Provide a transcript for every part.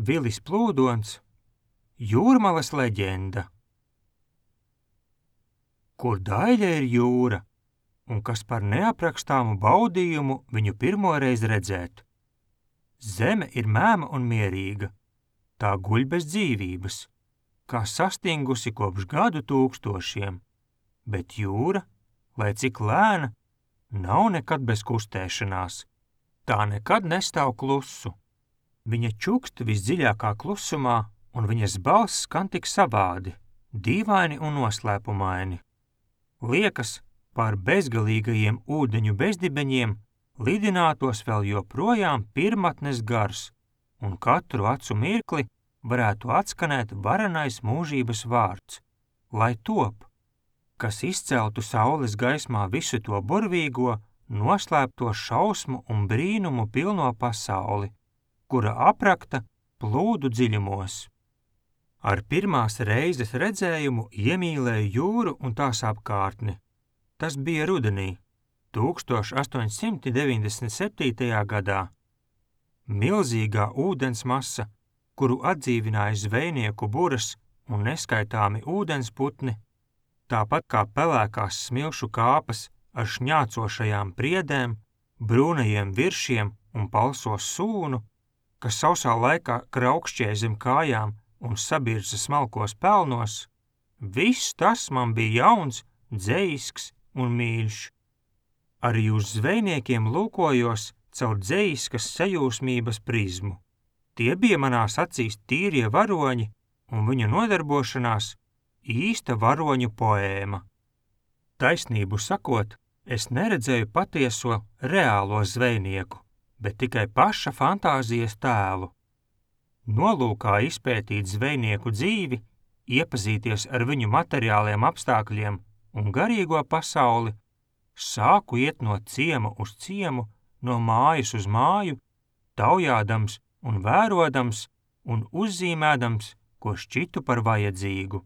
Vilis Plūdons, Jūrmalas leģenda. Kur daļa ir jūra, un kas par neaprakstāmu baudījumu viņu pirmoreiz redzēt. Zeme ir mēma un mierīga, tā guļ bez dzīvības, kā sastingusi kopš gadu tūkstošiem, bet jūra, lai cik lēna, nav nekad bez kustēšanās, tā nekad nestāv klusu. Viņa čukst visdziļākā klusumā, un viņas balss skan tik savādi, dīvaini un noslēpumaini. Liekas, pār bezgalīgajiem ūdeņu bezdibeņiem lidinātos vēl joprojām pirmatnes gars, un katru acu mirkli varētu atskanēt varenais mūžības vārds, lai top, kas izceltu saules gaismā visu to burvīgo, noslēpto šausmu un brīnumu pilno pasauli, kura aprakta plūdu dziļumos. Ar pirmās reizes redzējumu iemīlēju jūru un tās apkārtni. Tas bija rudenī, 1897. gadā. Milzīgā ūdens masa, kuru atdzīvināja zvejnieku buras un neskaitāmi ūdensputni, tāpat kā pelēkās smilšu kāpas ar šņācošajām priedēm, brūnajiem viršiem un palso sūnu, kas sausā laikā kraukšķēja zem kājām un sabirza smalkos pelnos, viss tas man bija jauns, dzejisks un mīļš. Arī uz zvejniekiem lūkojos caur dzejiskas sajūsmības prizmu. Tie bija manās acīs tīrie varoņi un viņu nodarbošanās īsta varoņu poēma. Taisnību sakot, es neredzēju patieso, reālo zvejnieku, bet tikai paša fantāzijas tēlu. Nolūkā izpētīt zvejnieku dzīvi, iepazīties ar viņu materiāliem apstākļiem un garīgo pasauli, sāku iet no ciema uz ciemu, no mājas uz māju, taujādams un vērodams un uzzīmēdams, ko šķitu par vajadzīgu.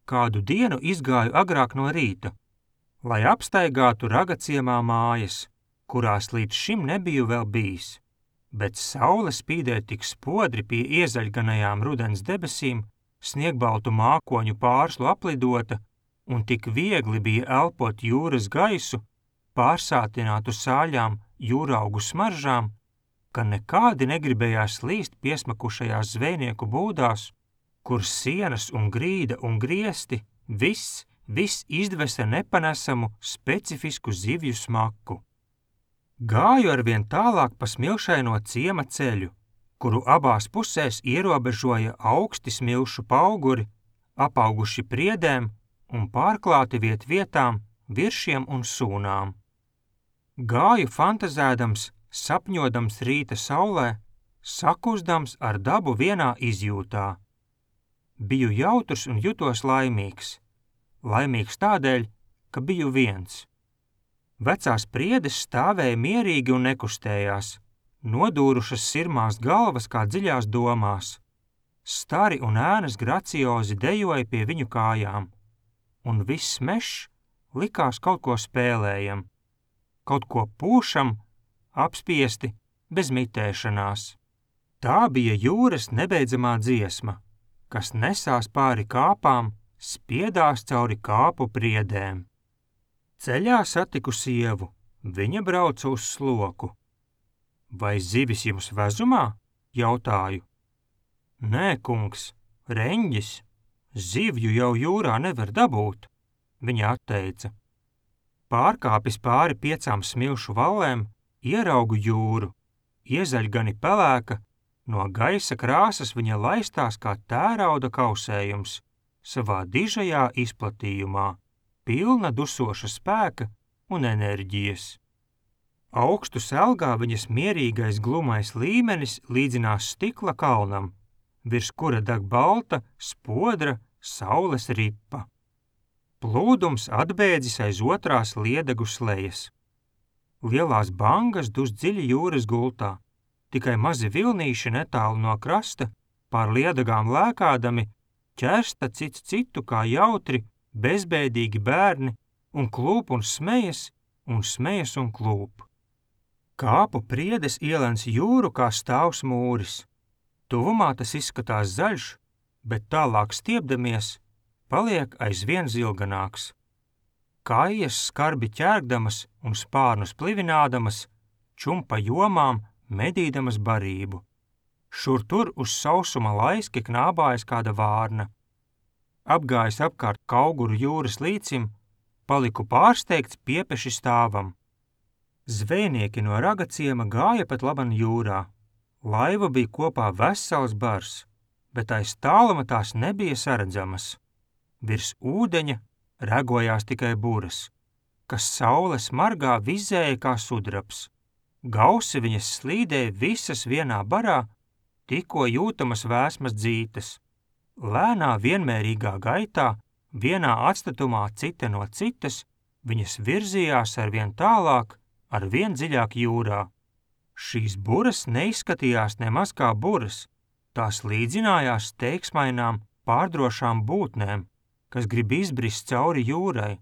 Kādu dienu izgāju agrāk no rīta, lai apstaigātu ragaciemā mājas, kurās līdz šim nebiju vēl bijis, bet saule spīdēja tik spodri pie iezaļganajām rudens debesīm, sniegbaltu mākoņu pārslu aplidota, un tik viegli bija elpot jūras gaisu, pārsātinātu sāļām jūraugu smaržām, ka nekādi negribējās līst piesmakušajās zvejnieku būdās, kur sienas un grīda un griesti viss izdvesa nepanesamu specifisku zivju smaku. Gāju arvien tālāk pa smilšaino ciema ceļu, kuru abās pusēs ierobežoja augsti smilšu pauguri, apauguši priedēm un pārklāti vietām viršiem un sūnām. Gāju fantazēdams, sapņodams rīta saulē, sakustams ar dabu vienā izjūtā. Biju jautrs un jutos laimīgs. Laimīgs tādēļ, ka biju viens. Vecās priedes stāvēja mierīgi un nekustējās, nodūrušas sirmās galvas kā dziļās domās. Stari un ēnas graciozi dejoja pie viņu kājām, un viss mežs likās kaut ko spēlējam, kaut ko pūšam, apspiesti, bez mitēšanās. Tā bija jūras nebeidzamā dziesma, kas nesās pāri kāpām, spiedās cauri kāpu priedēm. Ceļā satiku sievu, viņa brauca uz sloku. Vai zivis jums vezumā? Jautāju. Nē, kungs, reņģis, zivju jau jūrā nevar dabūt, viņa atteica. Pārkāpis pāri 5 smilšu vallēm, ieraugu jūru, iezaļgani pelēka, no gaisa krāsas viņa laistās kā tērauda kausējums, savā dižajā izplatījumā, pilna dusoša spēka un enerģijas. Augstu selgā viņas mierīgais glumais līmenis līdzinās stikla kalnam, virs kura deg balta, spodra, saules ripa. Plūdums atbēdzis aiz otrās liedegu slejas. Lielās bangas dus dziļi jūras gultā, tikai mazi vilnīši netālu no krasta, pār liedagām lēkādami, ķersta cits citu kā jautri, bezbēdīgi bērni un klūp un smejas un klūp. Kāpu priedes ielens jūru kā stāvs mūris. Tuvumā tas izskatās zaļš, bet tālāk stiepdamies, paliek aizvien zilganāks. Kājas skarbi ķērgdamas un spārnus plivinādamas, čumpa jomām, medīdamas barību. Šur tur uz sausuma laiski knābājas kāda vārna. Apgājis apkārt Kauguru jūras līcim, paliku pārsteigts piepeši stāvam. Zvejnieki no Ragaciema gāja pat laban jūrā. Laiva bija kopā vesels bars, bet aiz tāluma tās nebija saredzamas. Virs ūdeņa regojās tikai buras, kas saule smargā vizēja kā sudrabs. Gausi viņas slīdēja visas vienā barā, tikko jūtamas vēsmas dzītes. Lēnā vienmērīgā gaitā, vienā atstatumā cita no citas, viņas virzījās arvien tālāk, arvien dziļāk jūrā. Šīs buras neizskatījās nemaz kā buras, tās līdzinājās teiksmainām, pārdrošām būtnēm, kas grib izbrist cauri jūrai,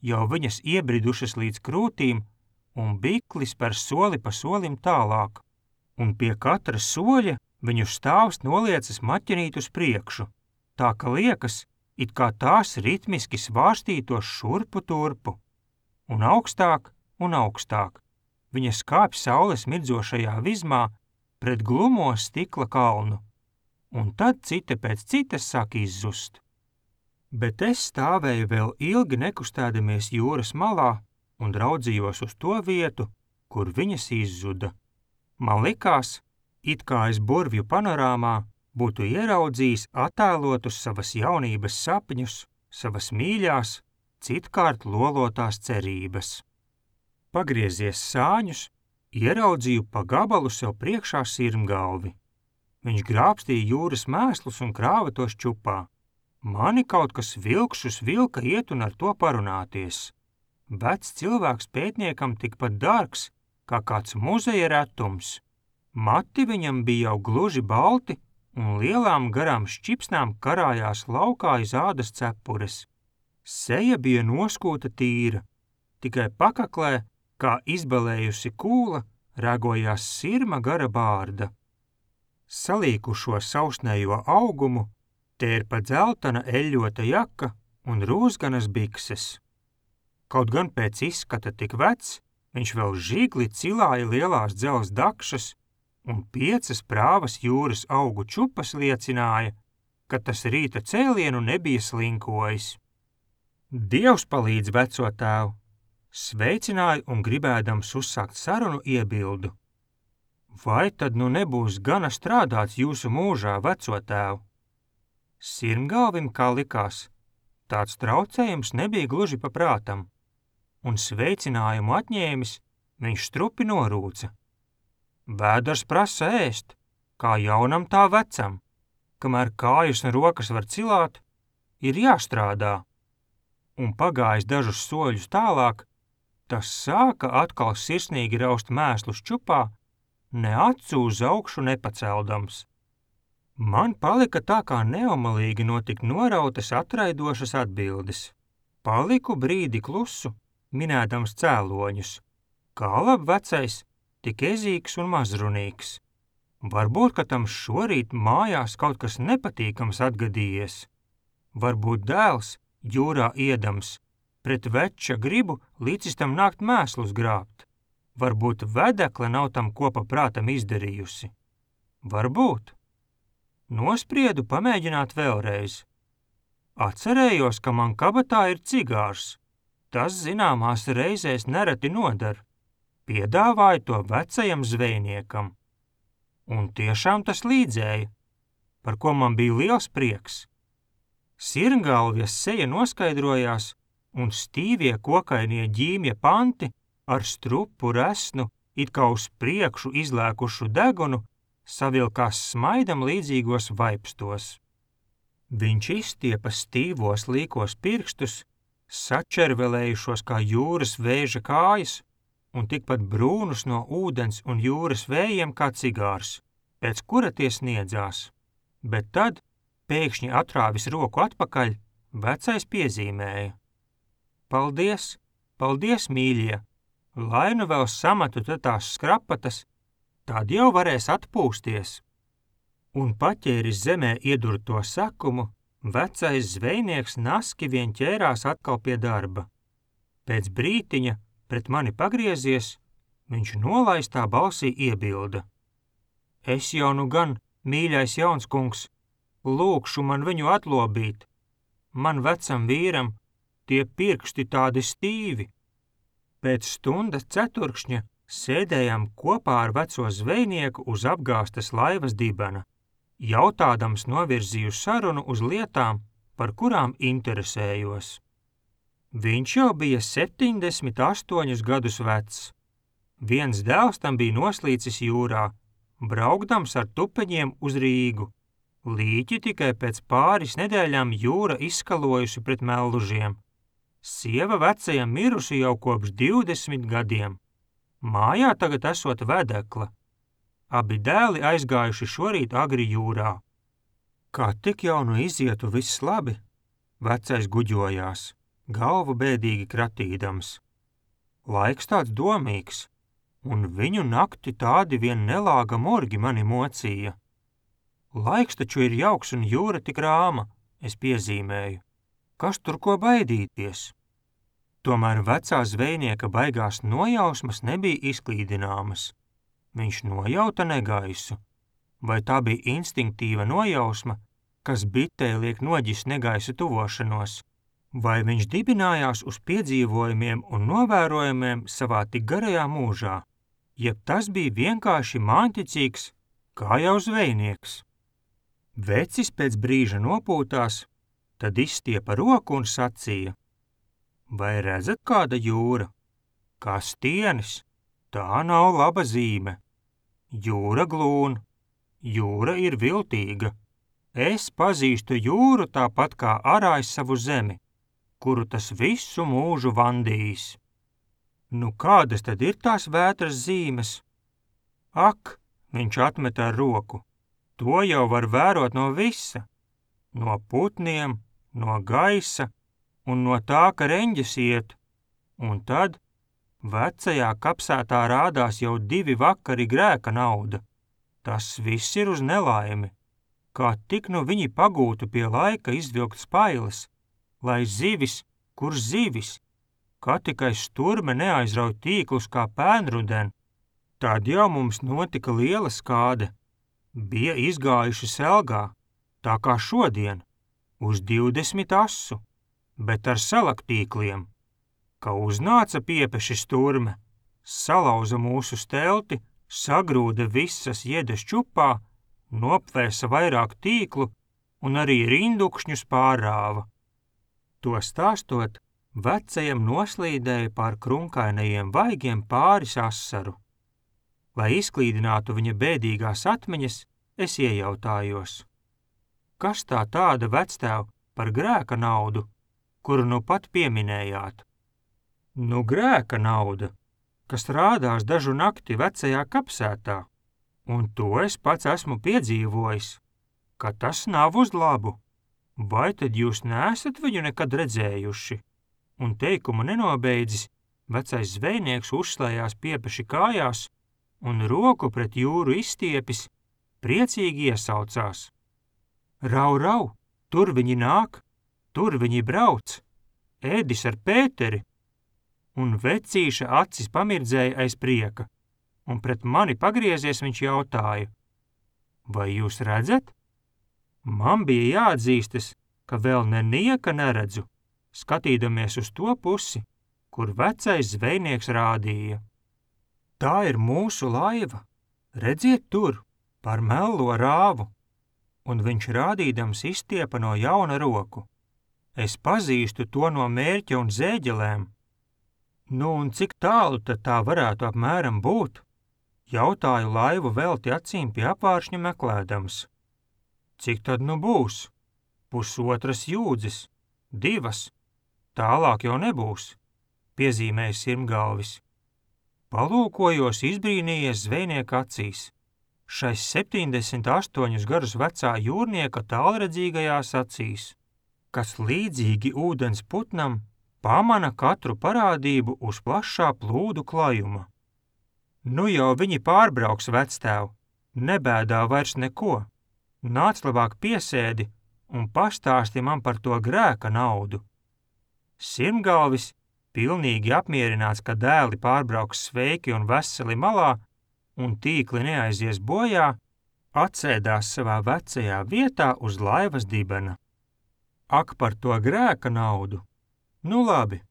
jau viņas iebridušas līdz krūtīm, un biklis par soli pa solim tālāk, un pie katra soļa viņu stāvs noliecas maķenīt uz priekšu, tā ka liekas, it kā tās ritmiski svārstītos šurpu turpu, un augstāk un augstāk. Viņas kāpj saules mirdzošajā vizmā pret glumo stikla kalnu, un tad cita pēc citas sāk izzust. Bet es stāvēju vēl ilgi nekustēdamies jūras malā un raudzījos uz to vietu, kur viņas izzuda. Man likās, it kā es burvju panorāmā būtu ieraudzījis attēlotus savas jaunības sapņus, savas mīļās, citkārt lolotās cerības. Pagriezies sāņus, ieraudzīju pa gabalu sev priekšā sirmgalvi. Viņš grābstīja jūras mēslus un krāva tos čupā. Mani kaut kas vilkšus vilka iet un ar to parunāties. Vecs cilvēks pētniekam tikpat dārgs, kā kāds muzeja retums. Mati viņam bija jau gluži balti, un lielām garām šķipsnām karājās laukā iz ādas cepures. Seja bija noskūta tīra, tikai pakaklē, kā izbalējusi kūla, ragojās sirma gara bārda. Salīkušo sausnējo augumu, tērpa dzeltana eļļota jaka un rūzganas bikses. Kaut gan pēc izskata tik vecs, viņš vēl žigli cilāja lielās dzelzs dakšas, un 5 prāvas jūras augu čupas liecināja, ka tas rīta cēlienu nebija slinkojis. Dievs palīdz veco tēvu! Sveicināju un gribēdams uzsākt sarunu iebildu. Vai tad nu nebūs gana strādāts jūsu mūžā, veco tēvu? Sirmgalvim, kā likās, tāds traucējums nebija gluži pa prātam, un sveicinājumu atņēmis, viņš strupi norūca. Vēders prasa ēst, kā jaunam tā vecam, kamēr kājas un rokas var cilāt, ir jāstrādā. Un pagājis dažus soļus tālāk, tas sāka atkal sirsnīgi raust mēslus čupā, ne acu uz augšu nepaceldams. Man palika tā kā neomalīgi notikt norautas atraidošas atbildes. Paliku brīdi klusu, minēdams cēloņus. Kā lab vecais, tik ezīgs un mazrunīgs. Varbūt, ka tam šorīt mājās kaut kas nepatīkams atgadījies. Varbūt dēls, jūrā iedams, pret veča gribu līdzis tam nākt mēslus grābt. Varbūt vedekle nav tam kopa prātam izdarījusi. Varbūt. Nospriedu pamēģināt vēlreiz. Atcerējos, ka man kabatā ir cigārs. Tas zināmās reizēs nereti nodar. Piedāvāju to vecajam zvejniekam. Un tiešām tas līdzēja, par ko man bija liels prieks. Sirmgalvjas seja noskaidrojās, un stīvie kokainie ģīmja panti ar strupu resnu, it kā uz priekšu izlēkušu degunu, savilkās smaidam līdzīgos vaipstos. Viņš izstiepa stīvos līkos pirkstus, sačervelējušos kā jūras vēža kājas, un tikpat brūnus no ūdens un jūras vējiem kā cigārs, pēc kura tie sniedzās. Bet tad, pēkšņi atrāvis roku atpakaļ, vecais piezīmēja. Paldies, paldies, mīļie, lai nu vēl samatu tās skrapatas, tad jau varēs atpūsties. Un paķēris zemē iedurto sakumu, vecais zvejnieks naski vien ķērās atkal pie darba. Pēc brītiņa, pret mani pagriezies, viņš nolaistā balsī iebilda. Es jau nu gan, mīļais jauns kungs, lūkšu man viņu atlobīt. Man vecam vīram tie pirksti tādi stīvi. Pēc stundas ceturkšņa sēdējām kopā ar veco zvejnieku uz apgāstas laivas dibena, jautādams novirzīju sarunu uz lietām, par kurām interesējos. Viņš jau bija 78 gadus vecs. Viens dēls tam bija noslīcis jūrā, braukdams ar tupeņiem uz Rīgu. Līķi tikai pēc pāris nedēļām jūra izskalojusi pret mellužiem. Sieva vecajam mirusi jau kopš 20 gadiem. Mājā tagad esot vedekla. Abi dēli aizgājuši šorīt agri jūrā. Kā tik jau nu izietu viss labi, vecais guģojās, galvu bēdīgi kratīdams. Laiks tāds domīgs, un viņu nakti tādi vien nelāga morgi mani mocīja. Laiks taču ir jauks un jūra tik rāma, es piezīmēju. Kas tur ko baidīties? Tomēr vecā zvejnieka baigās nojausmas nebija izklīdināmas. Viņš nojauta negaisu. Vai tā bija instinktīva nojausma, kas bitei liek noģist negaisa tuvošanos? Vai viņš dibinājās uz piedzīvojumiem un novērojumiem savā tik garajā mūžā? Jeb tas bija vienkārši māņticīgs, kā jau zvejnieks? Vecis pēc brīža nopūtās, tad izstiepa roku un sacīja. Vai redzat kāda jūra? Kā stienis, tā nav laba zīme. Jūra glūn, jūra ir viltīga. Es pazīstu jūru tāpat kā arājs savu zemi, kuru tas visu mūžu vandījis. Nu kādas tad ir tās vētras zīmes? Ak, viņš atmet ar roku. To jau var vērot no visa. No putniem, no gaisa un no tā, ka reņģis iet. Un tad vecajā kapsētā rādās jau 2 vakari grēka nauda. Tas viss ir uz nelaimi. Kā tik nu viņi pagūtu pie laika izvilkt spailes, lai zivis, kur zivis, kā tikai sturme neaizrauj tīklus kā pēnruden. Tad jau mums notika liela skāde. Bija izgājuši selgā, tā kā šodien, uz 20 asu, bet ar salaktīkliem. Ka uznāca piepeši sturme, salauza mūsu stelti, sagrūda visas jedes čupā, nopvēsa vairāk tīklu un arī rindukšņus pārrāva. To stāstot, vecajam noslīdēja pār krunkainajiem vaigiem pāris asaru. Lai izklīdinātu viņa bēdīgās atmiņas, es iejautājos. Kas tā tāda vectēv par grēka naudu, kuru nu pat pieminējāt? Nu grēka nauda, kas rādās dažu nakti vecajā kapsētā, un to es pats esmu piedzīvojis, ka tas nav uz labu. Vai tad jūs neesat viņu nekad redzējuši? Un teikumu nenobeidzis, vecais zvejnieks uzslējās piepeši kājās, un roku pret jūru izstiepis, priecīgi iesaucās. Rau, rau, tur viņi nāk, tur viņi brauc, Ēdis ar Pēteri, un vecīša acis pamirdzēja aiz prieka, un pret mani pagriezies viņš jautāja. Vai jūs redzat? Man bija jāatzīstas, ka vēl nenieka neredzu, skatīdamies uz to pusi, kur vecais zvejnieks rādīja. Tā ir mūsu laiva, redziet tur, par mello rāvu, un viņš rādīdams izstiepa no jauna roku. Es pazīstu to no mērķa un zēģelēm. Nu un cik tālu tad tā varētu apmēram būt? Jautāju laivu velti acīm pie apvāršņa meklēdams. Cik tad nu būs? 1,5 jūdzes, 2, tālāk jau nebūs, piezīmēja Sirmgalvis. Palūkojos izbrīnījies zvejnieka acīs, šais 78 gadus vecā jūrnieka tālredzīgajās acīs, kas līdzīgi ūdens putnam pamana katru parādību uz plašā plūdu klajuma. Nu jau viņi pārbrauks vectēv, nebēdā vairs neko, Nāc labāk piesēdi un pastāsti man par to grēka naudu. Sirmgalvis, pilnīgi apmierināts, ka dēli pārbrauks sveiki un veseli malā un tīkli neaizies bojā, atsēdās savā vecajā vietā uz laivas dibena. Ak, par to grēka naudu! Nu labi!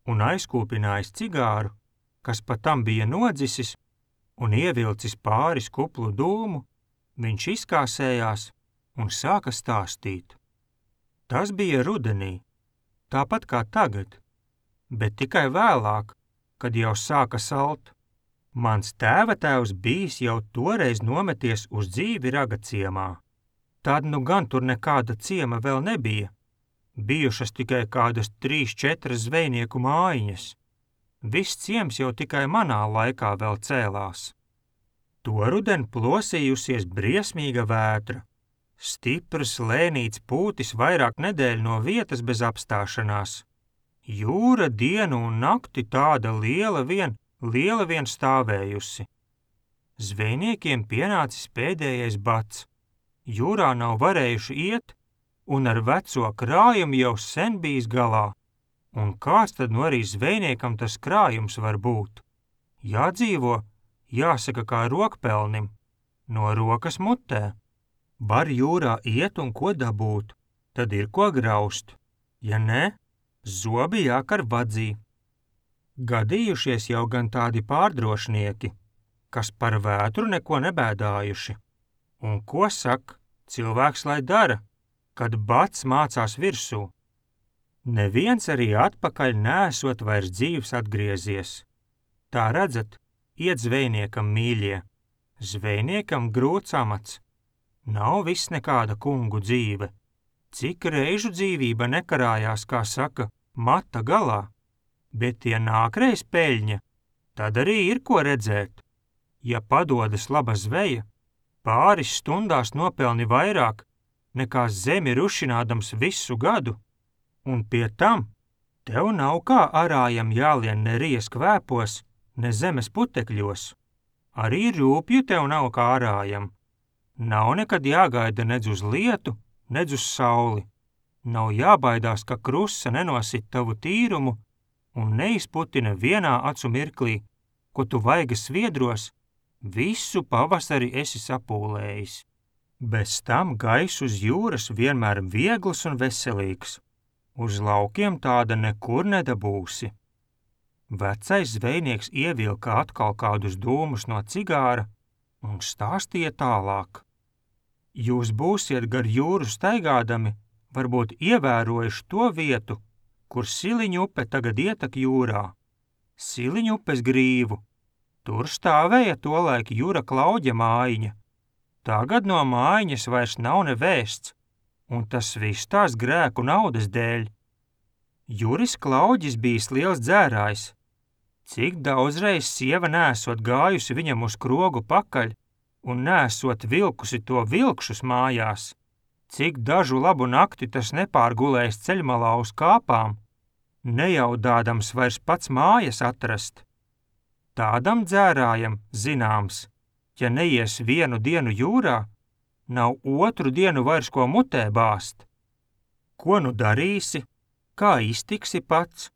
Un aizkūpinājis cigāru, kas pa tam bija nodzisis, un ievilcis pāris kuplu dūmu, viņš izkāsējās un sāka stāstīt. Tas bija rudenī, tāpat kā tagad, bet tikai vēlāk, kad jau sāka salt. Mans tēvatēvs bijis jau toreiz nometies uz dzīvi Ragaciemā. Tad nu gan tur nekāda ciema vēl nebija. Bijušas tikai kādas 3-4 zvejnieku mājiņas. Viss ciems jau tikai manā laikā vēl cēlās. To ruden plosījusies briesmīga vētra. Stiprs, lēnīts pūtis vairāk nedēļu no vietas bez apstāšanās. Jūra dienu un nakti tāda liela vien stāvējusi. Zvejniekiem pienācis pēdējais bats. Jūrā nav varējuši iet, un ar veco krājumu jau sen bijis galā. Un kāds tad nu arī zvejniekam tas krājums var būt? Jādzīvo, jāsaka kā rokpelnim, no rokas mutē. Var jūrā iet un ko dabūt, tad ir ko graust. Ja ne, zobi jākar vadzī. Gadījušies jau gan tādi pārdrošnieki, kas par vētru neko nebēdājuši. Un ko saka, cilvēks lai dara, kad bats mācās virsū? Neviens arī atpakaļ neesot vairs dzīvs atgriezies. Tā redzat, iet zvejniekam mīļie, zvejniekam grūts amats. Nav viss nekāda kungu dzīve. Cik reižu dzīvība nekarājās, kā saka, mata galā. Bet ja nākreiz peļņa, tad arī ir ko redzēt. Ja padodas laba zveja, pāris stundās nopelni vairāk, nekā zemi rušinādams visu gadu. Un pie tam tev nav kā arājam jālien ne ries kvēpos, ne zemes putekļos. Arī rūpju tev nav kā arājam. Nav nekad jāgaida nedz uz lietu, nedz uz sauli. Nav jābaidās, ka krusa nenosit tavu tīrumu un neizputina vienā acu mirklī, ko tu vaigas sviedros, visu pavasari esi sapūlējis. Bez tam gaiss uz jūras vienmēr viegls un veselīgs. Uz laukiem tāda nekur nedabūsi. Vecais zvejnieks ievilka atkal kādus dūmus no cigāra un stāstīja tālāk. Jūs būsiet gar jūru staigādami, varbūt ievērojuši to vietu, kur Siliņu upe tagad ietek jūrā. Siliņu upes grīvu. Tur stāvēja tolaik Jura Klauģa mājiņa. Tagad no mājiņas vairs nav nevēsts, un tas viss tās grēku naudas dēļ. Juris Klauģis bijis liels dzērājs. Cik daudzreiz sieva neesot gājusi viņam uz krogu pakaļ un neesot vilkusi to vilkšus mājās, cik dažu labu nakti tas nepārgulējis ceļmalā uz kāpām, nejaudādams vairs pats mājas atrast. Tādam dzērājam, zināms, ja neies vienu dienu jūrā, nav otru dienu vairs ko mutē bāzt. Ko nu darīsi? Kā iztiksi pats?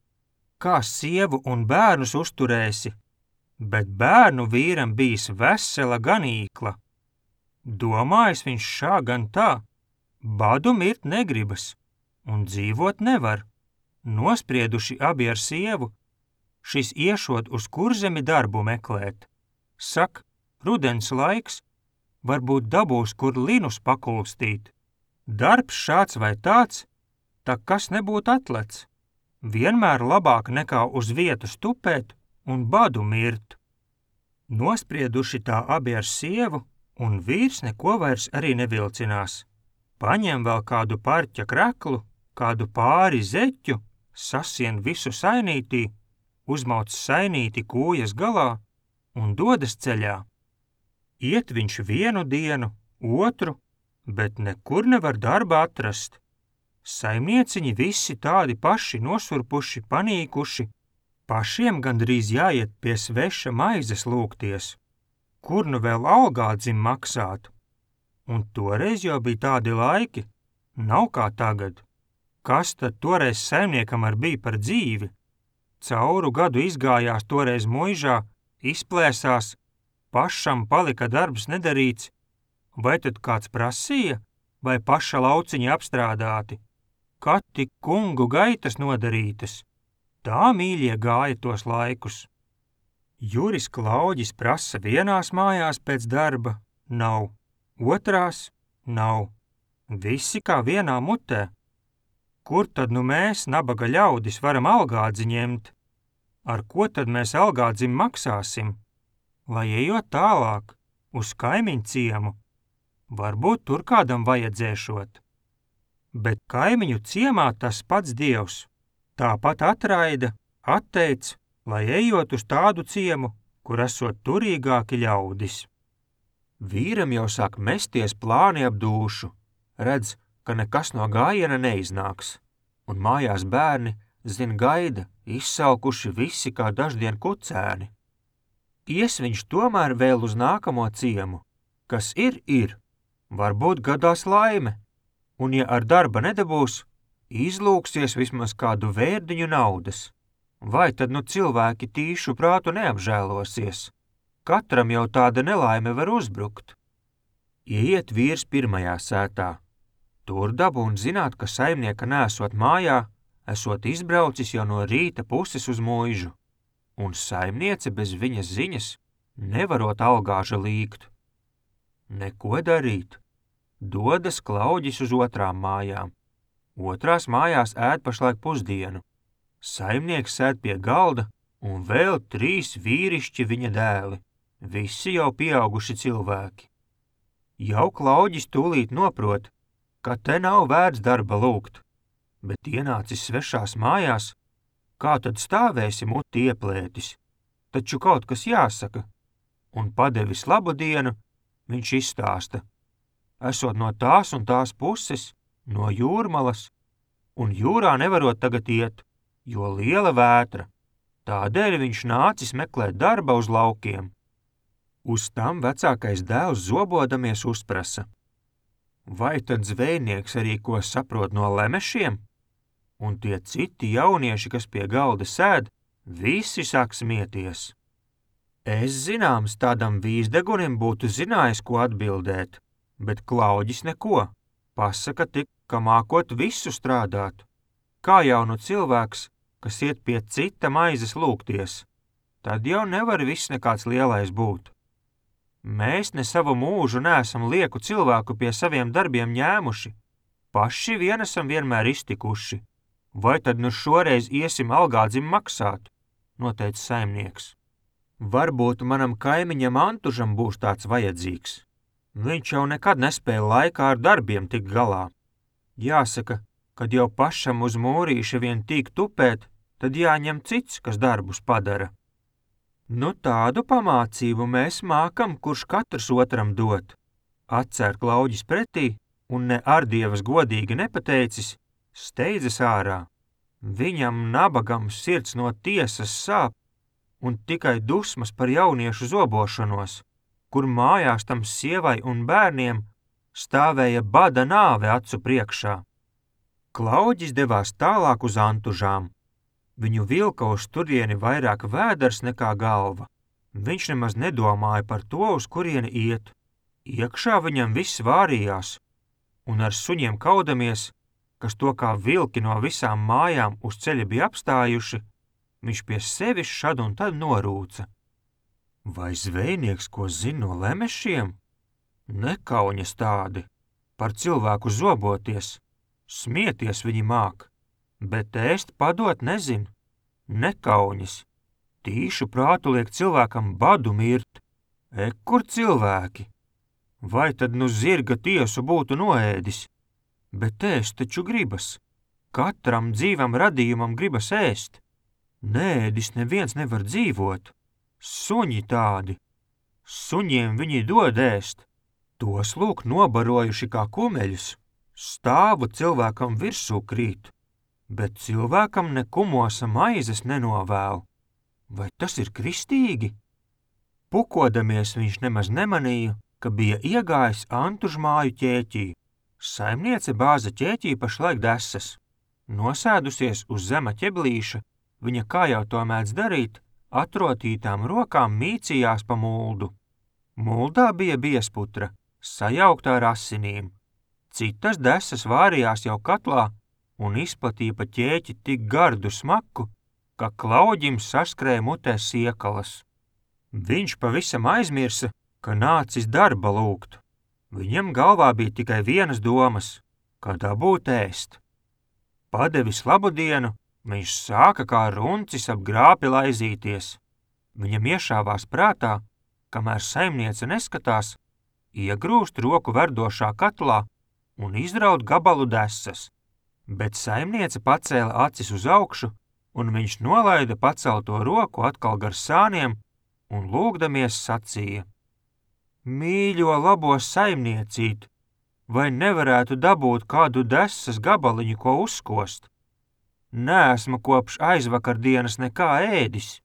Kā sievu un bērnus uzturēsi? Bet bērnu vīram bijis vesela ganīkla. Domājis viņš šā gan tā, badu mirt negribas, un dzīvot nevar. Nosprieduši abi ar sievu, šis iešot uz Kurzemi darbu meklēt. Sak, rudens laiks, varbūt dabūs, kur linus pakulstīt. Darbs šāds vai tāds, tak kas nebūtu atlec. Vienmēr labāk nekā uz vietu stupēt un badu mirt. Nosprieduši tā abi ar sievu, un vīrs neko vairs arī nevilcinās. Paņem vēl kādu parķa kreklu, kādu pāri zeķu, sasien visu sainītī, uzmauc sainīti kūjas galā un dodas ceļā. Iet viņš vienu dienu, otru, bet nekur nevar darba atrast. Saimnieciņi visi tādi paši nosurpuši, panīkuši, pašiem gandrīz jāiet pie sveša maizes lūgties. Kur nu vēl algādzim maksāt? Un toreiz jau bija tādi laiki, nav kā tagad. Kas tad toreiz saimniekam bija par dzīvi? Cauru gadu izgājās toreiz muižā, izplēsās, pašam palika darbs nedarīts, vai tad kāds prasīja, vai paša lauciņi apstrādāti? Kad tik kungu gaitas nodarītas? Tā mīļie gāja tos laikus. Juris Klauģis prasa vienās mājās pēc darba, nav, otrās, nav. Visi kā vienā mutē. Kur tad nu mēs, nabaga ļaudis, varam algādzi ņemt? Ar ko tad mēs algādzim maksāsim? Lai ejot tālāk, uz kaimiņu ciemu, varbūt tur kādam vajadzēšot. Bet kaimiņu ciemā tas pats dievs, tāpat atraida, atteic, lai ejot uz tādu ciemu, kur esot turīgāki ļaudis. Vīram jau sāk mesties plāni ap dūšu, redz, ka nekas no gājiena neiznāks, un mājās bērni, zin gaida, izsalkuši visi kā daždien kucēni. Ies viņš tomēr vēl uz nākamo ciemu, kas ir, varbūt gadās laime, un ja ar darba nedabūs, izlūksies vismaz kādu vērdiņu naudas. Vai tad nu cilvēki tīšu prātu neapžēlosies? Katram jau tāda nelaime var uzbrukt. Ieiet vīrs pirmajā sētā. Tur dabūn zināt, ka saimnieka nesot mājā, esot izbraucis jau no rīta puses uz muižu, un saimniece bez viņas ziņas nevarot algāža līgt. Neko darīt. Dodas Klauģis uz otrām mājām. Otrās mājās ēd pašlaik pusdienu. Saimnieks sēd pie galda un vēl 3 vīrišķi viņa dēli, visi jau pieauguši cilvēki. Jau Klauģis tūlīt noprot, ka te nav vērts darba lūgt, bet ienācis svešās mājās, kā tad stāvēsi muti ieplētis, taču kaut kas jāsaka, un padevis labu dienu, viņš izstāsta. Esot no tās un tās puses, no jūrmalas, un jūrā nevarot tagad iet, jo liela vētra, tādēļ viņš nācis meklēt darba uz laukiem. Uz tam vecākais dēls zobodamies uzprasa. Vai tad zvejnieks arī ko saprot no lemešiem? Un tie citi jaunieši, kas pie galda sēd, visi sāk smieties. Es zināms tādam vīzdegunim būtu zinājis, ko atbildēt, bet Klauģis neko, pasaka tik, ka mākot visu strādāt. Kā jaunu cilvēks, kas iet pie cita maizes lūgties, tad jau nevar viss nekāds lielais būt. Mēs ne savu mūžu neesam lieku cilvēku pie saviem darbiem ņēmuši, paši vien esam vienmēr iztikuši. Vai tad nu šoreiz iesim algādzim maksāt, noteica saimnieks. Varbūt manam kaimiņam Antužam būs tāds vajadzīgs. Viņš jau nekad nespēja laikā ar darbiem tikt galā. Jāsaka, kad jau pašam uz mūrīša vien tīk tupēt, tad jāņem cits, kas darbus padara. Nu tādu pamācību mēs mākam, kurš katrs otram dot. Atcer Klauģis pretī un ne ar dievas godīgi nepateicis, steidzas ārā. Viņam nabagam sirds no tiesas sāp un tikai dusmas par jauniešu zobošanos, kur mājās tam sievai un bērniem stāvēja bada nāve acu priekšā. Klauģis devās tālāk uz Antužām. Viņu vilka uz turieni vairāk vēders nekā galva. Viņš nemaz nedomāja par to, uz kurieni iet. Iekšā viņam viss vārījās, un ar suņiem kaudamies, kas to kā vilki no visām mājām uz ceļa bija apstājuši, viņš pie sevis šad un tad norūca. Vai zvejnieks ko zina no lemešiem? Nekauņas tādi, par cilvēku zoboties, smieties viņi māk, bet ēst padot nezin, nekauņas. Tīšu prātu liek cilvēkam badu mirt, kur cilvēki? Vai tad nu zirga tiesu būtu noēdis? Bet ēst taču gribas. Katram dzīvam radījumam gribas ēst. Neēdis neviens nevar dzīvot. Suņi tādi. Suņiem viņi dod ēst. Tos lūk nobarojuši kā kumeļus. Stāvu cilvēkam virsū krīt, bet cilvēkam ne kumosa maizes nenovēl. Vai tas ir kristīgi? Pukodamies viņš nemaz nemanīja, ka bija iegājis Antužu māju ķēķī. Saimniece bāza ķēķī pašlaik desas. Nosēdusies uz zema ķeblīša, viņa, kā jau to mēdz darīt, atrotītām rokām mīcījās pa muldu. Muldā bija biezputra, sajauktā ar asinīm. Citas desas vārījās jau katlā un izplatīja pa ķēķi tik gardu smaku, ka Klauģim saskrēja mutē siekalas. Viņš pavisam aizmirsa, ka nācis darba lūgt. Viņam galvā bija tikai vienas domas, kā dabūt ēst. Padevis labu dienu, viņš sāka kā runcis ap grāpi laizīties. Viņam iešāvās prātā, kamēr saimniece neskatās, iegrūst roku verdošā katlā un izraut gabalu desas, bet saimniece pacēla acis uz augšu, un viņš nolaida pacelto roku atkal gar sāniem un lūgdamies sacīja: Mīļo labo saimniecīt, vai nevarētu dabūt kādu desas gabaliņu, ko uzkost? Neesmu kopš aizvakardienas nekā ēdis.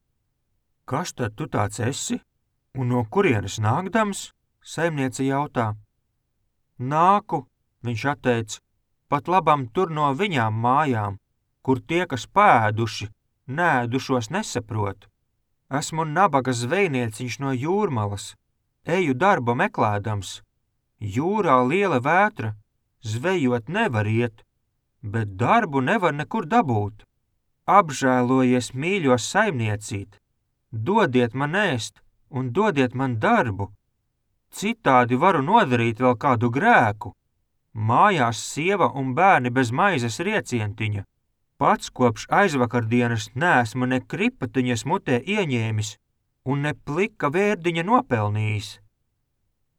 Kas tad tu tāds esi? Un no kurienes nākdams? Saimniece jautā. Nāku, viņš atteica, pat labam tur no viņām mājām, kur tie, kas pēduši, nēdušos nesaprot. Esmu nabaga zvejnieciņš no Jūrmalas, eju darba meklēdams. Jūrā liela vētra, zvejot nevar iet, bet darbu nevar nekur dabūt. Apžēlojies, mīļo saimniecīt, dodiet man ēst un dodiet man darbu. Citādi varu nodarīt vēl kādu grēku. Mājās sieva un bērni bez maizes riecientiņa. Pats kopš aizvakardienas neesmu ne kripatiņas mutē ieņēmis un ne plika vērdiņa nopelnījis.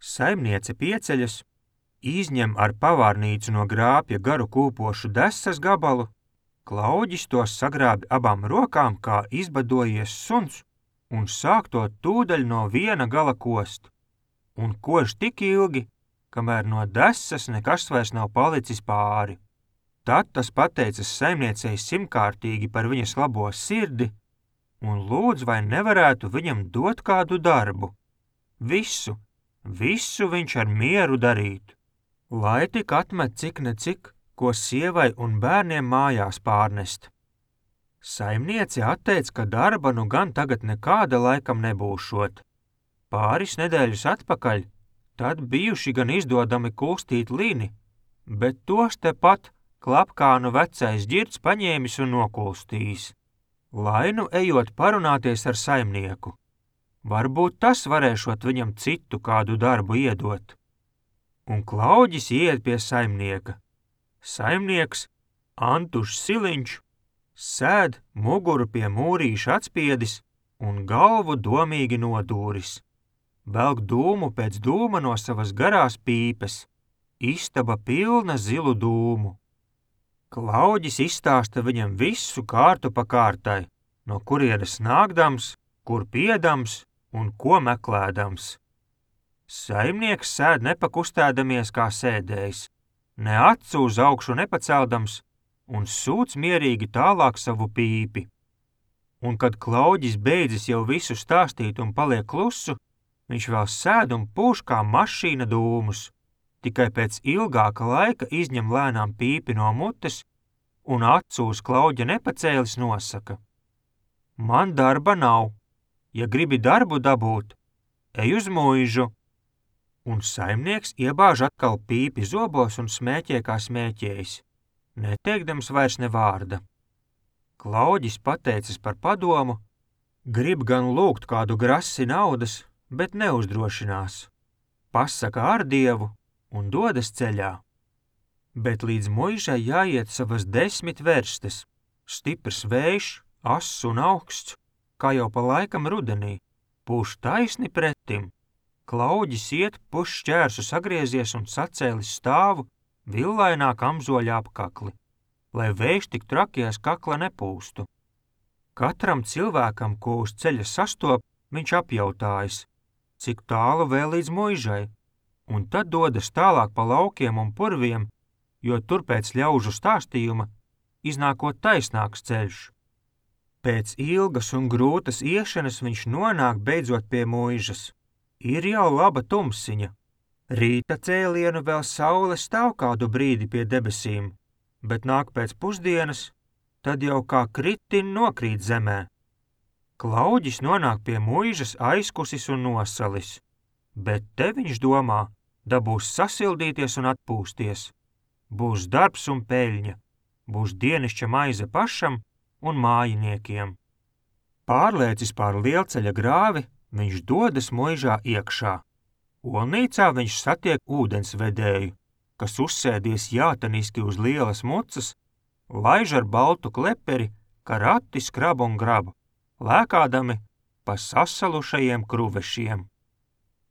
Saimniece pieceļas, izņem ar pavārnīcu no grāpja garu kūpošu desas gabalu, Klauģis tos sagrābi abām rokām, kā izbadojies suns, un sāk to tūdaļ no viena gala kost. Un kož tik ilgi, kamēr no desas nekas vairs nav palicis pāri. Tad tas pateicas saimniecei simtkārtīgi par viņas labo sirdi un lūdz, vai nevarētu viņam dot kādu darbu. Visu viņš ar mieru darītu, lai tik atmet cik ne cik, ko sievai un bērniem mājās pārnest. Saimniece atteica, ka darba nu gan tagad nekāda laikam nebūšot. Pāris nedēļas atpakaļ, tad bijuši gan izdodami kulstīt lini, bet tos tepat klapkānu vecais ģirds paņēmis un nokulstījis, lai nu ejot parunāties ar saimnieku. Varbūt tas varēšot viņam citu kādu darbu iedot. Un Klauģis iet pie saimnieka. Saimnieks, Antušs Siliņš, sēd muguru pie mūrīša atspiedis un galvu domīgi nodūris. Velk dūmu pēc dūma no savas garās pīpes, istaba pilna zilu dūmu. Klauģis izstāsta viņam visu kārtu pa kārtai, no kurienes nākdams, kur piedams un ko meklēdams. Saimnieks sēd nepakustēdamies kā sēdējs, ne acu uz augšu nepaceldams un sūc mierīgi tālāk savu pīpi. Un kad Klauģis beidzis jau visu stāstīt un paliek klusu, viņš vēl sēd un pūš kā mašīna dūmus, tikai pēc ilgāka laika izņem lēnām pīpi no mutes un acu uz Klauģa nepacēlis nosaka: Man darba nav, ja gribi darbu dabūt, ej uz muižu. Un saimnieks iebāž atkal pīpi zobos un smēķē kā smēķējis, neteikdams vairs ne vārda. Klauģis pateicas par padomu, grib gan lūgt kādu grasi naudas, bet neuzdrošinās. Pasaka ar Dievu un dodas ceļā. Bet līdz muižai jāiet savas 10 verstes, stiprs vējš, ass un augsts, kā jau pa laikam rudenī, pūš taisni pretim. Klauģis iet pusšķērsu sagriezies un sacēlis stāvu villainā kamzoļa apkakli, lai vējš tik trakies kakla nepūstu. Katram cilvēkam, ko uz ceļa sastop, viņš apjautājas, cik tālu vēl līdz muižai, un tad dodas tālāk pa laukiem un purviem, jo tur pēc ļaužu stāstījuma iznākot taisnāks ceļš. Pēc ilgas un grūtas iešanas viņš nonāk beidzot pie muižas. Ir jau laba tumsiņa, Rīta cēlienu vēl saule stāv kādu brīdi pie debesīm, bet nāk pēc pusdienas, tad jau kā kritin nokrīt zemē. Klauģis nonāk pie muižas aizkusis un nosalis, bet te viņš domā, dabūs sasildīties un atpūsties. Būs darbs un peļņa, būs dienišķa maize pašam un mājiniekiem. Pārlēcis pār lielceļa grāvi, viņš dodas muižā iekšā. Olnīcā viņš satiek ūdensvedēju, kas uzsēdies jātaniski uz lielas mucas, laiž ar baltu kleperi, ka rati skrab un grab, lēkādami pa sasalušajiem kruvešiem.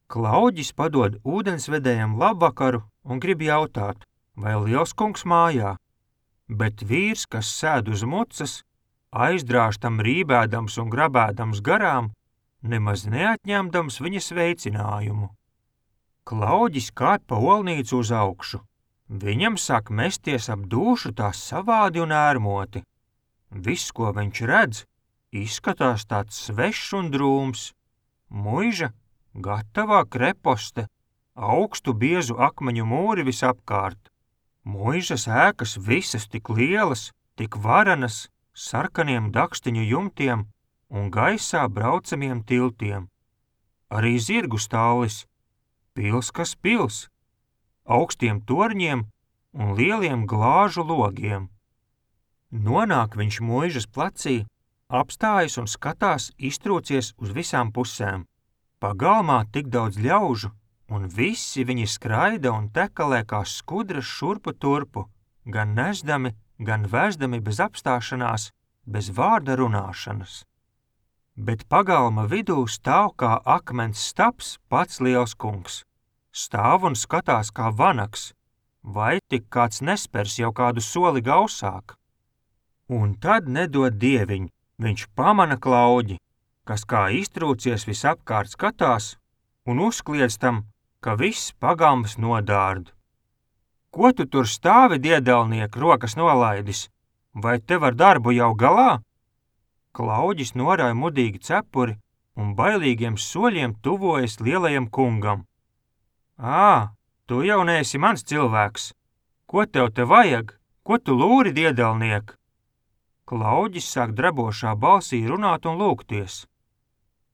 Klauģis padod ūdensvedējam labvakaru un grib jautāt, vai lielskungs mājā, bet vīrs, kas sēd uz mucas, aizdrāž tam rībēdams un grabēdams garām, nemaz neatņemdams viņa sveicinājumu. Klauģis kāp pa olnīcu uz augšu. Viņam sāk mesties ap dūšu tā savādi un ērmoti. Viss, ko viņš redz, izskatās tāds svešs un drūms. Muiža, gatavā kreposte, augstu biezu akmeņu mūri visapkārt. Muižas ēkas visas tik lielas, tik varenas, sarkaniem dakstiņu jumtiem un gaisā braucamiem tiltiem. Arī zirgu stālis, pils kas pils, augstiem torņiem un lieliem glāžu logiem. Nonāk viņš muižas placī, apstājas un skatās iztrūcies uz visām pusēm. Pagalmā tik daudz ļaužu, un visi viņi skraida un tekalē kā skudras šurpu turpu, gan nesdami, gan vēzdami bez apstāšanās, bez vārda runāšanas. Bet pagalma vidū stāv kā akmens stabs pats lielskungs. Stāv un skatās kā vanaks, vai tik kāds nespers jau kādu soli gausāk. Un tad nedod dieviņ, viņš pamana Klauģi, kas kā iztrūcies visapkārt skatās un uzkliedz tam, ka viss pagalms nodārd. Ko tu tur stāvi, diedelniek, rokas nolaidis? Vai tev ar darbu jau galā? Klauģis norāja mudīgi cepuri un bailīgiem soļiem tuvojas lielajam kungam. Tu jau neesi mans cilvēks. Ko tev te vajag? Ko tu lūri, diedelniek? Klauģis sāk drebošā balsī runāt un lūgties.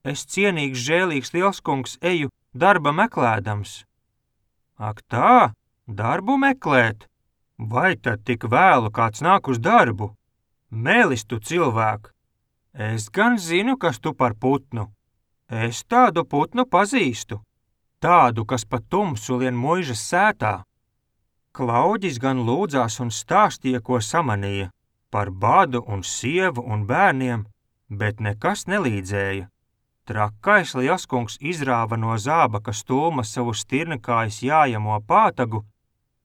Es cienīgs, žēlīgs lielskungs eju darba meklēdams. Ak tā, darbu meklēt? Vai tad tik vēlu kāds nāk uz darbu? Mēlis tu cilvēku! Es gan zinu, kas tu par putnu. Es tādu putnu pazīstu. Tādu, kas pa tumsu lien muižas sētā. Klauģis gan lūdzās un stāstīja, ko samanīja, par badu un sievu un bērniem, bet nekas nelīdzēja. Trakais lielskungs izrāva no zābaka stulma savu stirnekājas jājamo pātagu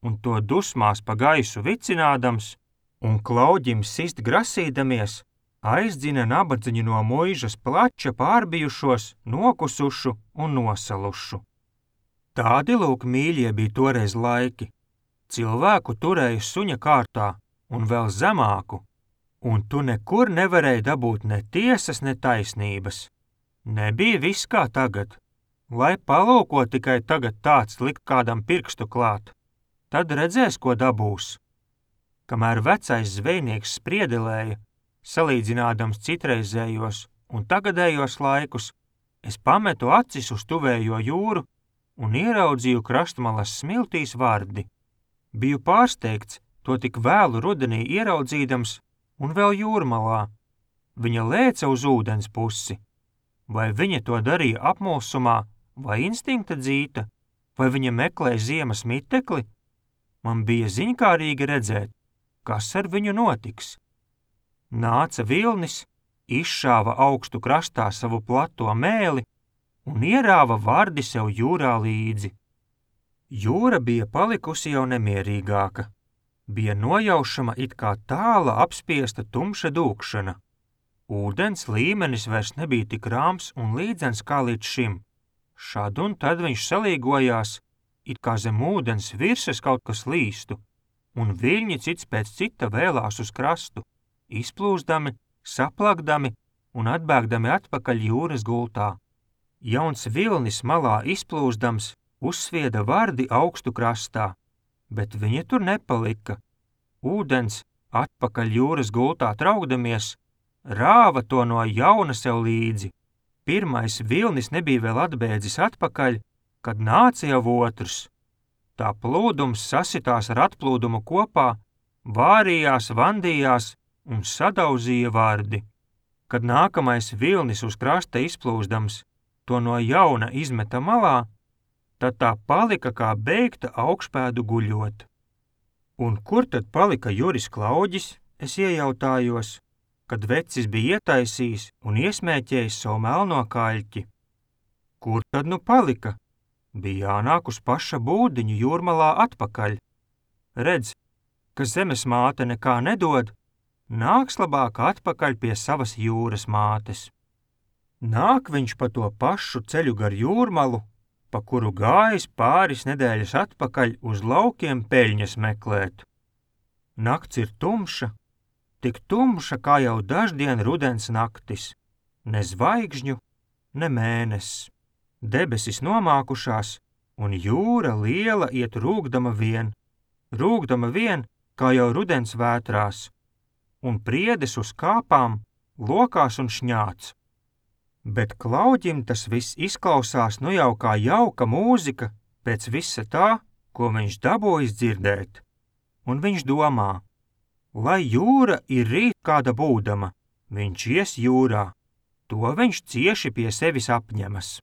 un to dusmās pa gaisu vicinādams, un Klauģim sist grasīdamies, aizdzina nabadziņu no muižas plača pārbijušos, nokusušu un nosalušu. Tādi lūk mīļie bija toreiz laiki. Cilvēku turēja suņa kārtā un vēl zemāku, un tu nekur nevarēji dabūt ne tiesas, ne taisnības. Nebija viss kā tagad, lai palūko tikai tagad tāds likt kādam pirkstu klāt. Tad redzēs, ko dabūs. Kamēr vecais zvejnieks spriedelēja, salīdzinādams citreizējos un tagadējos laikus, es pametu acis uz tuvējo jūru un ieraudzīju krastmalas smiltīs vardi. Biju pārsteigts to tik vēlu rudenī ieraudzīdams un vēl jūrmalā. Viņa lēca uz ūdens pusi. Vai viņa to darīja apmulsumā, vai instinkta dzīta, vai viņa meklēja ziemas mitekli? Man bija ziņkārīgi redzēt, kas ar viņu notiks. Nāca vilnis, izšāva augstu krastā savu plato mēli un ierāva vardi sev jūrā līdzi. Jūra bija palikusi jau nemierīgāka. Bija nojaušama it kā tāla apspiesta tumša dūkšana. Ūdens līmenis vairs nebija tik rāms un līdzens kā līdz šim. Šad un tad viņš salīgojās, it kā zem ūdens virsmas kaut kas līstu, un viļņi cits pēc cita vēlās uz krastu, izplūsdami, saplakdami un atbēgdami atpakaļ jūras gultā. Jauns vilnis malā izplūsdams, uzsvieda vardi augstu krastā, bet viņi tur nepalika. Ūdens, atpakaļ jūras gultā traukdamies, rāva to no jauna sev līdzi. Pirmais vilnis nebija vēl atbēdzis atpakaļ, kad nāca jau otrs. Tā plūdums sasitās ar atplūdumu kopā, vārījās, vandījās un sadauzīja vardi. Kad nākamais vilnis uz krasta izplūsdams to no jauna izmeta malā, tad tā palika kā beigta augšpēdu guļot. Un kur tad palika Juris Klauģis, es iejautājos, kad vecis bija ietaisījis un iesmēķējis savu melno kaļķi? Kur tad nu palika? Bija jānāk uz paša būdiņu jūrmalā atpakaļ. Redz, ka zemes māte nekā nedod, nāks labāk atpakaļ pie savas jūras mātes. Nāk viņš pa to pašu ceļu gar jūrmalu, pa kuru gājis pāris nedēļas atpakaļ uz laukiem peļņas meklēt. Nakts ir tumša, tik tumša kā jau daždien rudens naktis, ne zvaigžņu, ne mēnesis. Debesis nomākušās, un jūra liela iet rūgdama vien, kā jau rudens vētrās, un priedes uz kāpām, lokās un šņāc. Bet Klauģim tas viss izklausās nu jau kā jauka mūzika pēc visa tā, ko viņš dabūjis dzirdēt. Un viņš domā, lai jūra ir rīt kāda būdama, viņš ies jūrā, to viņš cieši pie sevis apņemas.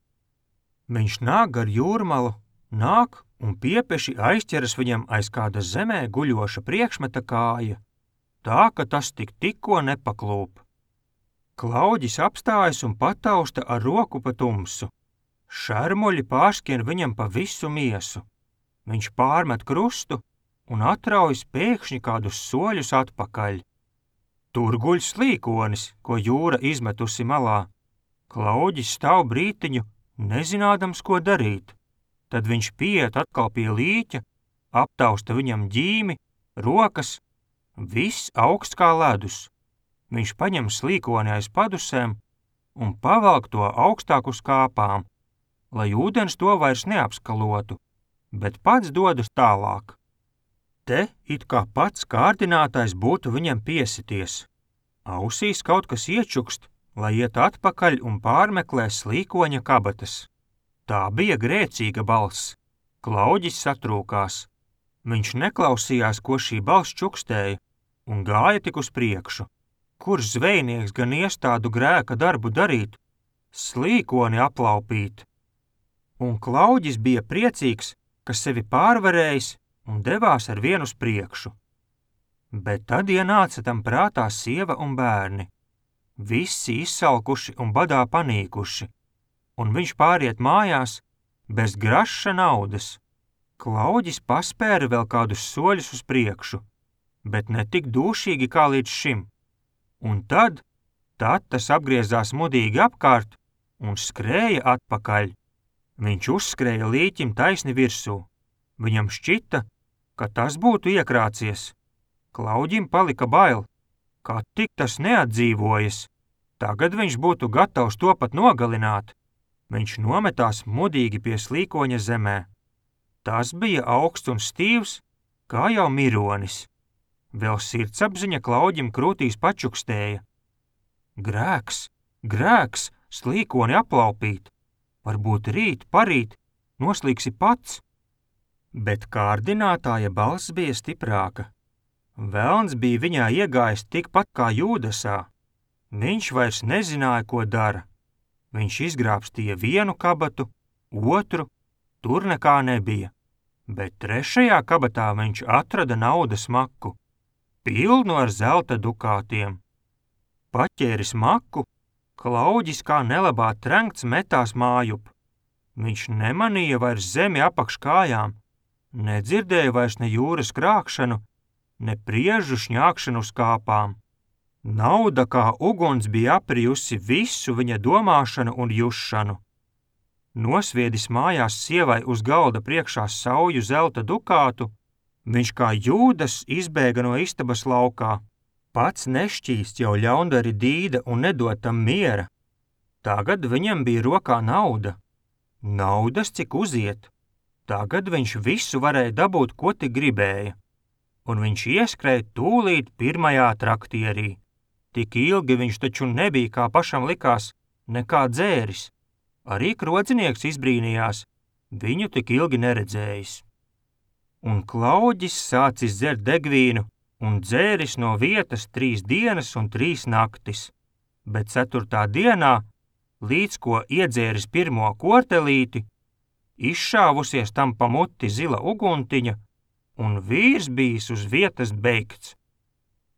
Viņš nāk gar jūrmalu, nāk un piepeši aizķeras viņam aiz kāda zemē guļoša priekšmeta kāja, tā, ka tas tikko nepaklūp. Klauģis apstājas un patausta ar roku pa tumsu. Šermuļi pārskrien viņam pa visu miesu. Viņš pārmet krustu un atraujas pēkšņi kādus soļus atpakaļ. Tur guļ slīkonis, ko jūra izmetusi malā. Klauģis stāv brītiņu, nezinādams, ko darīt. Tad viņš pieiet atkal pie līķa, aptausta viņam ģīmi, rokas, viss augsts kā ledus. Viņš paņem slīkoni aiz padusēm un pavelk to augstāk uz kāpām, lai ūdens to vairs neapskalotu, bet pats dodas tālāk. Te it kā pats kārdinātājs būtu viņam piesities. Ausīs kaut kas iečukst, lai iet atpakaļ un pārmeklē slīkoņa kabatas. Tā bija grēcīga balss. Klauģis satrūkās. Viņš neklausījās, ko šī balss čukstēja, un gāja tik uz priekšu. Kurš zvejnieks gan iestādu grēka darbu darīt? Slīkoni aplaupīt. Un Klauģis bija priecīgs, ka sevi pārvarējis un devās ar vienu uz priekšu. Bet tad ienāca tam prātā sieva un bērni. Visi izsalkuši un badā panīkuši, un viņš pāriet mājās bez graša naudas. Klauģis paspēra vēl kādus soļus uz priekšu, bet ne tik dūšīgi kā līdz šim. Un tad tas apgriezās mudīgi apkārt un skrēja atpakaļ. Viņš uzskrēja līķim taisni virsū. Viņam šķita, ka tas būtu iekrācies. Klauģim palika bail, kā tik tas neatdzīvojas. Tagad viņš būtu gatavs to pat nogalināt. Viņš nometās mudīgi pie slīkoņa zemē. Tas bija augsts un stīvs, kā jau mironis. Vēl sirdsapziņa Klauģim krūtīs pačukstēja. Grēks, grēks, slīkoni aplaupīt. Varbūt rīt, parīt, noslīgsi pats. Bet kārdinātāja balss bija stiprāka. Velns bija viņā iegājis tikpat kā Jūdasā. Viņš vairs nezināja, ko dara. Viņš izgrābstīja vienu kabatu, otru, tur nekā nebija. Bet trešajā kabatā viņš atrada naudas maku, pilnu ar zelta dukātiem. Paķēris maku, Klauģis kā nelabā trenkts metās mājup. Viņš nemanīja vairs zemi apakš kājām, nedzirdēja vairs ne jūras krākšanu, ne priežu šņākšanu uz kāpām. Nauda kā uguns bija aprijusi visu viņa domāšanu un jušanu. Nosviedis mājās sievai uz galda priekšā sauju zelta dukātu, viņš kā Jūdas izbēga no istabas laukā. Pats nešķīst jau ļaundari dīda un nedod tam miera. Tagad viņam bija rokā nauda. Naudas, cik uziet. Tagad viņš visu varēja dabūt, ko tik gribēja, un viņš ieskrēja tūlīt pirmajā traktierī. Tik ilgi viņš taču nebija, kā pašam likās, nekā dzēris. Arī krocinieks izbrīnījās, viņu tik ilgi neredzējis. Un Klauģis sācis dzert degvīnu un dzēris no vietas 3 dienas un 3 naktis, bet 4. dienā, līdz ko iedzēris pirmo kortelīti, izšāvusies tam pa muti zila uguntiņa, un vīrs bijis uz vietas beigts.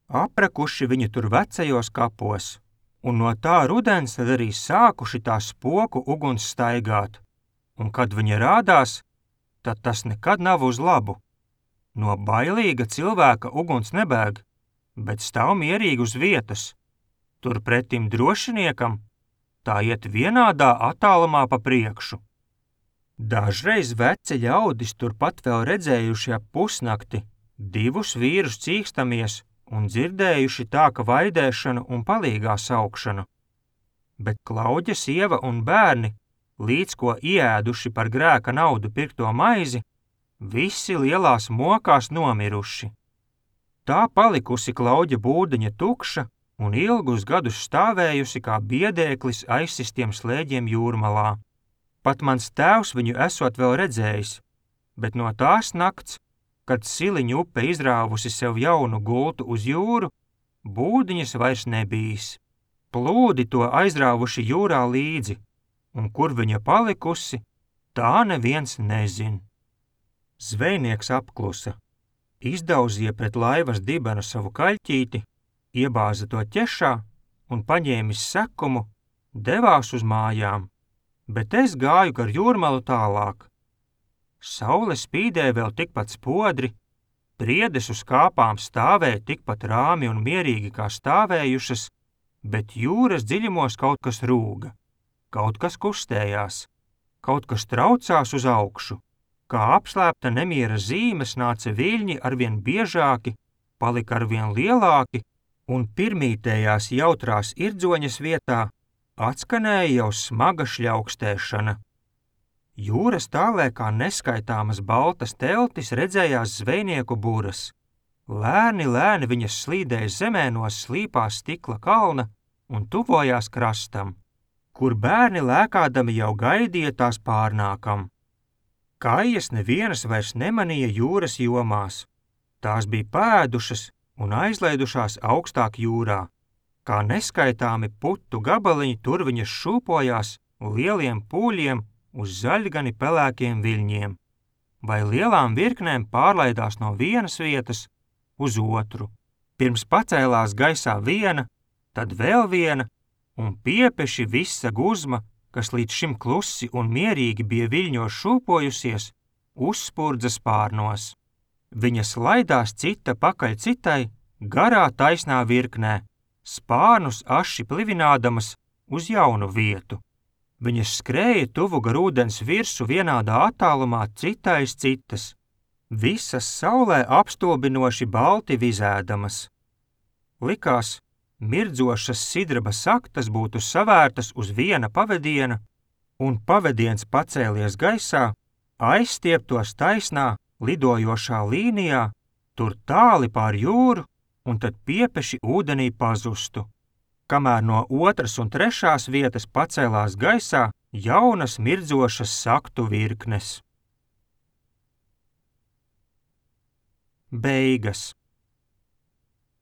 Aprakuši viņi tur vecajos kapos, un no tā rudens tad arī sākuši tā spoku uguns staigāt, un kad viņa rādās, tad tas nekad nav uz labu. No bailīga cilvēka uguns nebēg, bet stāv mierīgi uz vietas. Turpretim drošiniekam tā iet vienādā attālumā pa priekšu. Dažreiz veci ļaudis turpat vēl redzējuši ap pusnakti 2 vīrus cīkstamies un dzirdējuši tā, ka vaidēšanu un palīgā saukšanu. Bet Klauģa sieva un bērni, līdz ko ieēduši par grēka naudu pirkto maizi, visi lielās mokās nomiruši. Tā palikusi Klauģa būdiņa tukša un ilgus gadus stāvējusi kā biedēklis aizsistiem slēģiem jūrmalā. Pat mans tēvs viņu esot vēl redzējis, bet no tās nakts, kad Siliņu upe izrāvusi sev jaunu gultu uz jūru, būdiņas vairs nebijis. Plūdi to aizrāvuši jūrā līdzi, un kur viņa palikusi, tā neviens nezin. Zvejnieks apklusa, izdauzīja pret laivas dibenu savu kaļķīti, iebāza to ķešā un paņēmis sekumu, devās uz mājām, bet es gāju gar jūrmalu tālāk. Saule spīdēja vēl tikpat spodri, priedes uz kāpām stāvēja tikpat rāmi un mierīgi kā stāvējušas, bet jūras dziļumos kaut kas rūga, kaut kas kustējās, kaut kas traucās uz augšu, kā apslēpta nemiera zīmes nāca viļņi arvien biežāki, palika arvien lielāki, un pirmītējās jautrās irdzoņas vietā atskanēja jau smaga šļaukstēšana. Jūras tālē kā neskaitāmas baltas teltis redzējās zvejnieku buras. Lēni viņas slīdēja zemē no slīpā stikla kalna un tuvojās krastam, kur bērni lēkādami jau gaidīja tās pārnākam. Kājas nevienas vairs nemanīja jūras jomās. Tās bija pēdušas un aizlaidušās augstāk jūrā. Kā neskaitāmi putu gabaliņi tur viņas šūpojās lieliem pūļiem uz zaļgani pelēkiem viļņiem, vai lielām virknēm pārlaidās no vienas vietas uz otru. Pirms pacēlās gaisā viena, tad vēl viena, un piepeši visa guzma, kas līdz šim klusi un mierīgi bija viļņos šūpojusies, uzspurdza spārnos. Viņas laidās cita pakaļ citai, garā taisnā virknē, spārnus aši plivinādamas uz jaunu vietu. Viņas skrēja tuvu gar ūdens virsu vienādā attālumā cita aiz citas, visas saulē apstulbinoši balti vizēdamas. Likās, mirdzošas sidraba saktas būtu savērtas uz viena pavediena, un pavediens pacēlies gaisā, aizstieptos taisnā, lidojošā līnijā, tur tāli pār jūru, un tad piepeši ūdenī pazustu. Kamēr no 2. un 3. vietas pacēlās gaisā jaunas mirdzošas saktu virknes. Beigas.